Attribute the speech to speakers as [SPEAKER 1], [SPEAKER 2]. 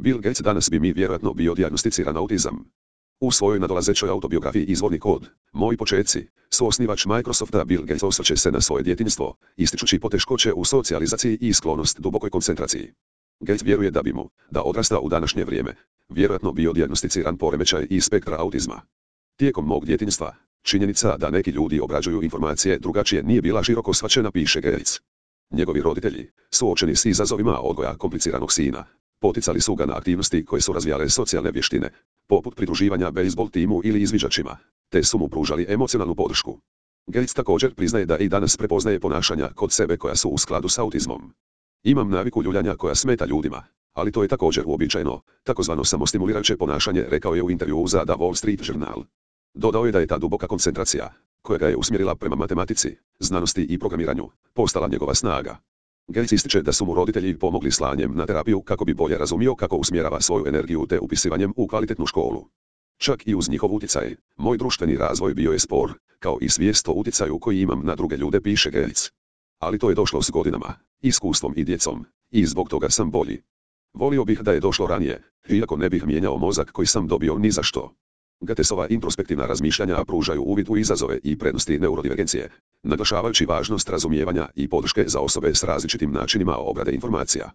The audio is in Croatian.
[SPEAKER 1] Bill Gates danas bi mi vjerojatno bio dijagnosticiran autizam. U svojoj nadolazećoj autobiografiji Izvorni kod, moji počeci, suosnivač Microsofta Bill Gates osvrće se na svoje djetinjstvo, ističući poteškoće u socijalizaciji i sklonost dubokoj koncentraciji. Gates vjeruje da bi mu, da odrasta u današnje vrijeme, vjerojatno bio dijagnosticiran poremećaj iz spektra autizma. Tijekom mog djetinjstva, činjenica da neki ljudi obrađuju informacije drugačije nije bila široko shvaćena, piše Gates. Njegovi roditelji, suočeni s izazovima odgoja kompliciranog sina, poticali su ga na aktivnosti koje su razvijale socijalne vještine, poput pridruživanja bejzbol timu ili izviđačima, te su mu pružali emocionalnu podršku. Gates također priznaje da i danas prepoznaje ponašanja kod sebe koja su u skladu s autizmom. Imam naviku ljuljanja koja smeta ljudima, ali to je također uobičajeno, takozvano samostimulirajuće ponašanje, rekao je u intervjuu za The Wall Street Journal. Dodao je da je ta duboka koncentracija, koja ga je usmjerila prema matematici, znanosti i programiranju, postala njegova snaga. Gates ističe da su mu roditelji pomogli slanjem na terapiju kako bi bolje razumio kako usmjerava svoju energiju te upisivanjem u kvalitetnu školu. Čak i uz njihov utjecaj, moj društveni razvoj bio je spor, kao i svijest o utjecaju koji imam na druge ljude, piše Gates. Ali to je došlo s godinama, iskustvom i djecom, i zbog toga sam bolji. Volio bih da je došlo ranije, iako ne bih mijenjao mozak koji sam dobio ni za što. Gatesova introspektivna razmišljanja pružaju uvid u izazove i prednosti neurodivergencije, naglašavajući važnost razumijevanja i podrške za osobe s različitim načinima obrade informacija.